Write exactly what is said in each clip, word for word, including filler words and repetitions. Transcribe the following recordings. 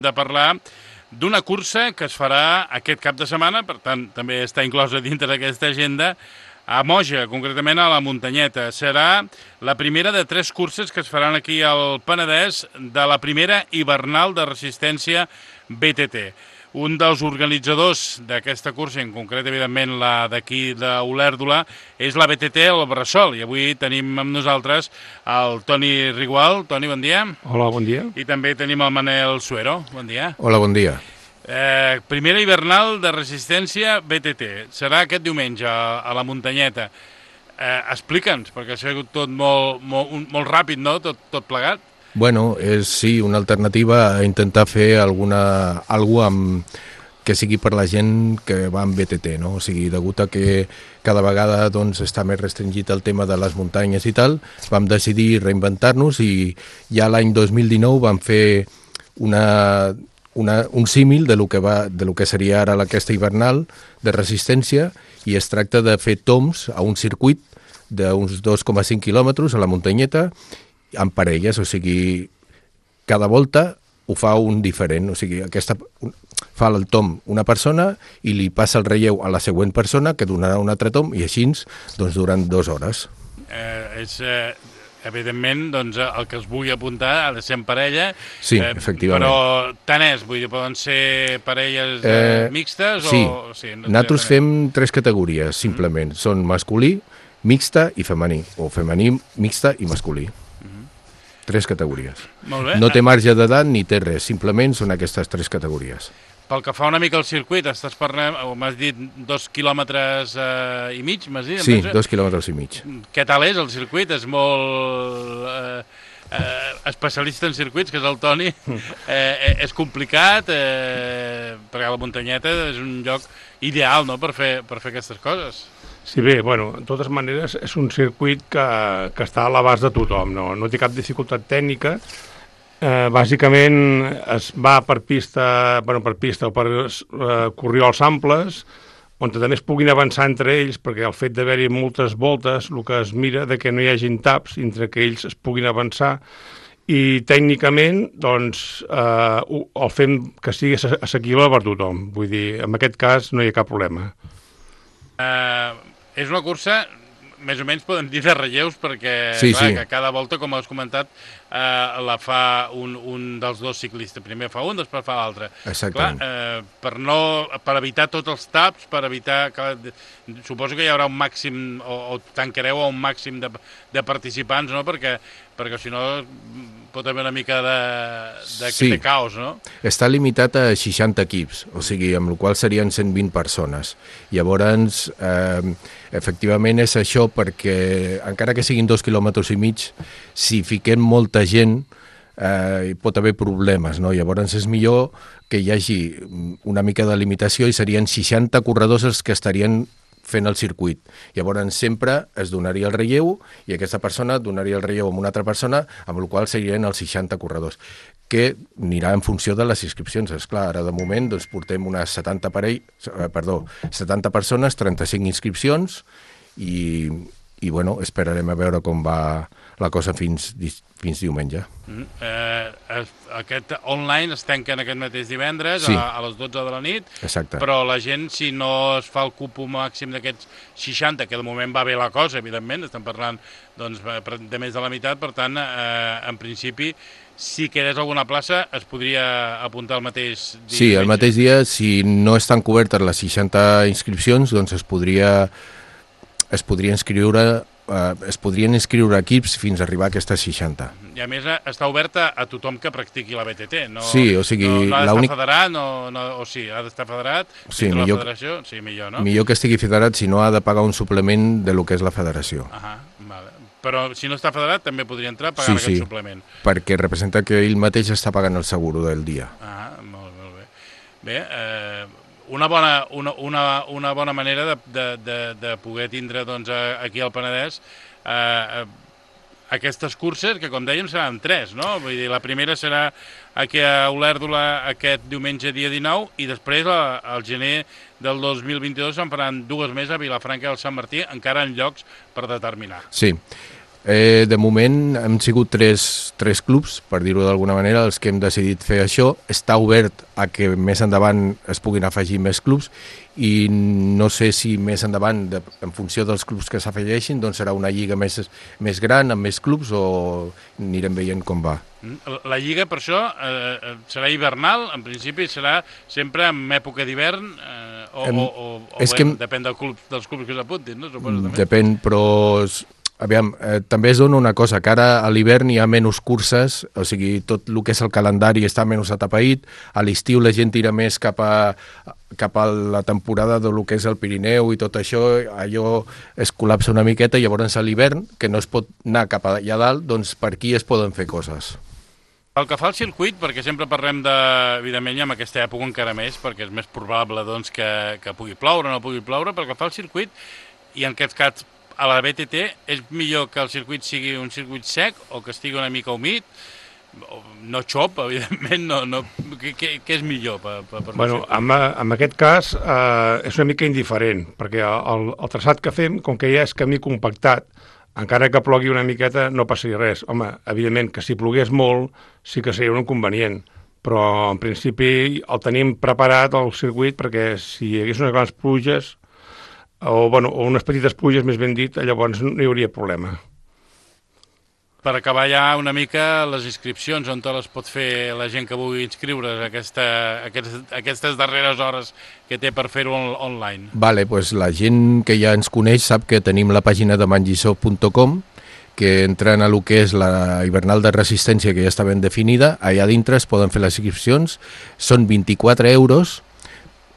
de parlar d'una cursa que es farà aquest cap de setmana, per tant, també està inclosa dintre d'aquesta agenda, a Moja, concretament a la Muntanyeta. Serà la primera de tres curses que es faran aquí al Penedès de la primera hivernal de resistència B T T. Un dels organitzadors d'aquesta cursa, en concret, evidentment, la d'aquí d'Olèrdola, és la B T T el Bressol. I avui tenim amb nosaltres el Toni Rigual. Toni, bon dia. Hola, bon dia. I també tenim el Manel Suero. Bon dia. Hola, bon dia. Eh, primera hivernal de resistència B T T. Serà aquest diumenge a, a la Muntanyeta. Eh, Explica'ns, perquè ha sigut tot molt, molt, molt ràpid, no?, tot, tot plegat. Bueno, és sí, una alternativa a intentar fer alguna alguna amb, que sigui per la gent que va amb B T T, no? O sigui, degut a que cada vegada doncs, està més restringit el tema de les muntanyes i tal, vam decidir reinventar-nos i ja l'any dos mil dinou vam fer una, una, un símil de lo que va, de lo que seria ara aquesta hivernal de resistència, i es tracta de fer toms a un circuit d'uns dos coma cinc quilòmetres a la Muntanyeta, amb parelles, o sigui, cada volta ho fa un diferent, o sigui, aquesta fa el tom una persona i li passa el relleu a la següent persona, que donarà un altre tom, i així doncs, durant dues hores. Eh, és, eh, evidentment, doncs, el que es vulgui apuntar ha de ser en parella. Sí, eh, efectivament. Però tant és, vull dir, poden ser parelles eh, eh, mixtes? Sí, o... sí no nosaltres fem tres categories, simplement. Mm. Són masculí, mixta i femení, o femení, mixta i masculí. Tres categories. Molt bé. No té marge d'edat ni té res, simplement són aquestes tres categories. Pel que fa una mica al circuit, estàs parlant, m'has dit dos quilòmetres eh, i mig, m'has dit? Sí, dos quilòmetres i mig. Què tal és el circuit? És molt eh, eh, especialista en circuits, que és el Toni. Eh, és complicat, eh, perquè la Muntanyeta és un lloc ideal, no?, per fer, per fer aquestes coses. Sí, bé, bueno, de totes maneres és un circuit que, que està a l'abast de tothom, no, no té cap dificultat tècnica. Eh, bàsicament es va per pista, bueno, per pista o per eh, corriols amples, on també es puguin avançar entre ells, perquè el fet d'haver-hi moltes voltes, el que es mira de que no hi hagin taps entre que ells es puguin avançar, i tècnicament doncs, eh, el fem que sigui assequible per tothom. Vull dir, en aquest cas no hi ha cap problema. Uh, és una cursa, més o menys podem dir de relleus, perquè sí, clar, sí. que cada volta, com has comentat, uh, la fa un, un dels dos ciclistes. Primer fa un, després fa l'altre. Exactament. Clar, uh, per, no, per evitar tots els taps, per evitar... Que, suposo que hi haurà un màxim, o, o tancareu a un màxim de, de participants, no?, perquè, perquè si no pot haver una mica de, de, sí. de caos, no? Està limitat a seixanta equips, o sigui, amb la qual serien cent vint persones. Llavors, eh, efectivament és això, perquè encara que siguin dos quilòmetres i mig, si fiquem molta gent, eh, hi pot haver problemes, no? Llavors és millor que hi hagi una mica de limitació i serien seixanta corredors els que estarien fent el circuit. Llavors sempre es donaria el relleu i aquesta persona donaria el relleu a una altra persona, amb la qual serien els seixanta corredors, que anirà en funció de les inscripcions. Esclar, ara de moment doncs, portem unes setanta, parell, eh, perdó, setanta persones, trenta-cinc inscripcions i, i bueno, esperarem a veure com va la cosa fins, fins diumenge. Mm, eh, aquest online es tanca en aquest mateix divendres, sí. a, a les dotze de la nit. Exacte. Però la gent, si no es fa el cupo màxim d'aquests seixanta, que de moment va bé la cosa, evidentment, estem parlant doncs, de més de la meitat, per tant, eh, en principi, si quedés alguna plaça, es podria apuntar el mateix dia. Sí, el mateix dia, si no estan cobertes les seixanta inscripcions, doncs es podria, es podria inscriure Uh, es podrien inscriure equips fins a arribar a aquestes seixanta. I a més està oberta a tothom que practiqui la B T T. No, sí, o sigui... No, no ha d'estar únic... federat, no, no, o sí, ha d'estar federat, sí, millor, millor, la federació, sí, millor, no? Millor que estigui federat, si no ha de pagar un suplement de lo que és la federació. Ahà, vale. Però si no està federat també podria entrar pagant sí, aquest sí, suplement. Perquè representa que ell mateix està pagant el seguro del dia. Ah, molt, molt bé. Bé, eh, una, bona, una, una, una bona manera de, de, de, de poder tindre doncs, aquí al Penedès eh, aquestes curses, que com dèiem seran tres, no? Vull dir, la primera serà aquí a Olèrdola aquest diumenge dia dinou i després al gener del dos mil vint-i-dos se'n faran dues més a Vilafranca del Sant Martí, encara en llocs per determinar. Sí. Eh, de moment hem sigut tres, tres clubs, per dir-ho d'alguna manera, els que hem decidit fer això. Està obert a que més endavant es puguin afegir més clubs i no sé si més endavant, de, en funció dels clubs que s'afegeixin, doncs serà una lliga més, més gran, amb més clubs, o anirem veient com va. La lliga, per això, eh, serà hivernal, en principi serà sempre en època d'hivern, eh, o, em, o, o, o bé, que... depèn del club, dels clubs que s'apuntin, no? Suposo, també. Depèn, però... Aviam, eh, també es dona una cosa, que ara a l'hivern hi ha menys curses, o sigui, tot el que és el calendari està menys atapeït, a l'estiu la gent tira més cap a, cap a la temporada de lo que és el Pirineu i tot això, allò es col·lapsa una miqueta, i llavors a l'hivern, que no es pot anar cap allà dalt, doncs per aquí es poden fer coses. Pel que fa al circuit, perquè sempre parlem de, evidentment, en aquesta època encara més, perquè és més probable doncs, que, que pugui ploure o no pugui ploure, pel que fa al circuit, i en aquest cas a la B T T, és millor que el circuit sigui un circuit sec o que estigui una mica humit, no xop, evidentment, no, no, què, què és millor? Per, per, per bueno, en, en aquest cas eh, és una mica indiferent, perquè el, el traçat que fem, com que ja és camí compactat, encara que plogui una miqueta no passaria res. Home, evidentment que si plogués molt sí que seria un inconvenient, però en principi el tenim preparat el circuit perquè si hi hagués unes grans pluges o, bueno, o unes petites pluges, més ben dit, llavors no hi hauria problema. Per acabar ja una mica les inscripcions, on te les pot fer la gent que vulgui inscriure's aquesta, aquestes, aquestes darreres hores que té per fer-ho on, online? Vale, pues la gent que ja ens coneix sap que tenim la pàgina de mangisó punt com, que entren a lo que és la hivernal de resistència, que ja està ben definida. Allà dintre es poden fer les inscripcions, són vint-i-quatre euros,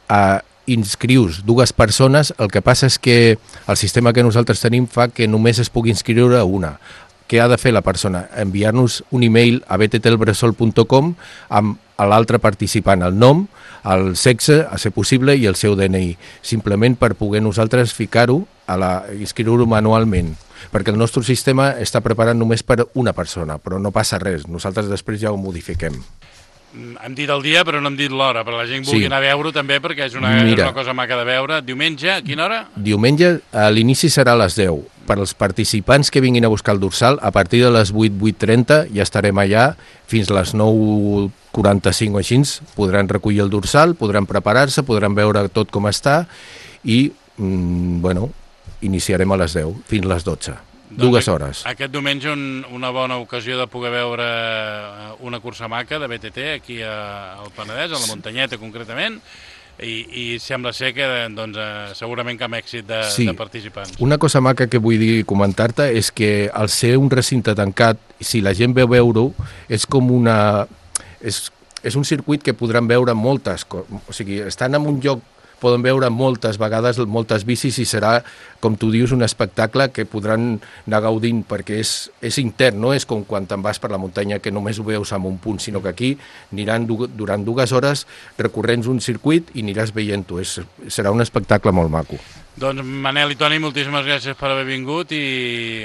a inscrius dues persones. El que passa és que el sistema que nosaltres tenim fa que només es pugui inscriure una. Què ha de fer la persona? Enviar-nos un e-mail a b t t el bressol punt com amb l'altre participant, el nom, el sexe, a ser possible, i el seu D N I, simplement per poder nosaltres ficar-ho, a la, inscriure-ho manualment, perquè el nostre sistema està preparat només per una persona, però no passa res, nosaltres després ja ho modifiquem. Hem dit el dia, però no hem dit l'hora, però la gent vulgui sí. anar a veure-ho també, perquè és una, Mira, és una cosa maca de veure. Diumenge, a quina hora? Diumenge, a l'inici serà a les deu. Per als participants que vinguin a buscar el dorsal, a partir de les vuit, vuit trenta ja estarem allà, fins a les nou quaranta-cinc o així, podran recollir el dorsal, podran preparar-se, podran veure tot com està, i, mm, bueno, iniciarem a les deu, fins a les dotze. Doncs Dues hores. Aquest diumenge un, una bona ocasió de poder veure una cursa maca de B T T aquí a, al Penedès, a la Muntanyeta concretament, i, i sembla ser que doncs, segurament cap èxit de, sí. de participants. Una cosa maca que vull dir comentar-te és que al ser un recinte tancat, si la gent veu veure-ho, és com una... És, és un circuit que podran veure moltes coses, o sigui, estan en un lloc poden veure moltes vegades moltes bicis i serà, com tu dius, un espectacle que podran anar gaudint, perquè és, és intern, no és com quan te'n vas per la muntanya que només ho veus en un punt, sinó que aquí aniran du durant dues hores recorrents un circuit i aniràs veient-ho. Serà un espectacle molt maco. Doncs Manel i Toni, moltíssimes gràcies per haver vingut i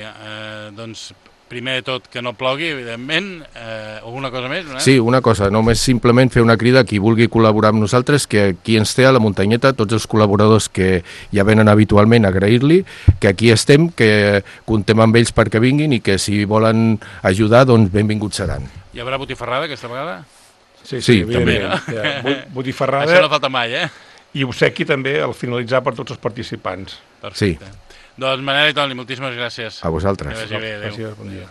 eh, doncs primer de tot que no plogui, evidentment. Eh, alguna cosa més? No? Sí, una cosa, només simplement fer una crida a qui vulgui col·laborar amb nosaltres, que aquí ens té a la muntanyeta, tots els col·laboradors que ja venen habitualment, agrair-li, que aquí estem, que contem amb ells perquè vinguin i que si volen ajudar, doncs benvinguts seran. Hi haurà botifarrada aquesta vegada? Sí, sí, sí també. també. Ja, botifarrada. Això no falta mai, eh? I obsequi també al finalitzar per tots els participants. Perfecte. Sí. Doncs Manel i Toni, moltíssimes gràcies. A vosaltres. Que vagi bé, adéu. Gràcies, bon dia.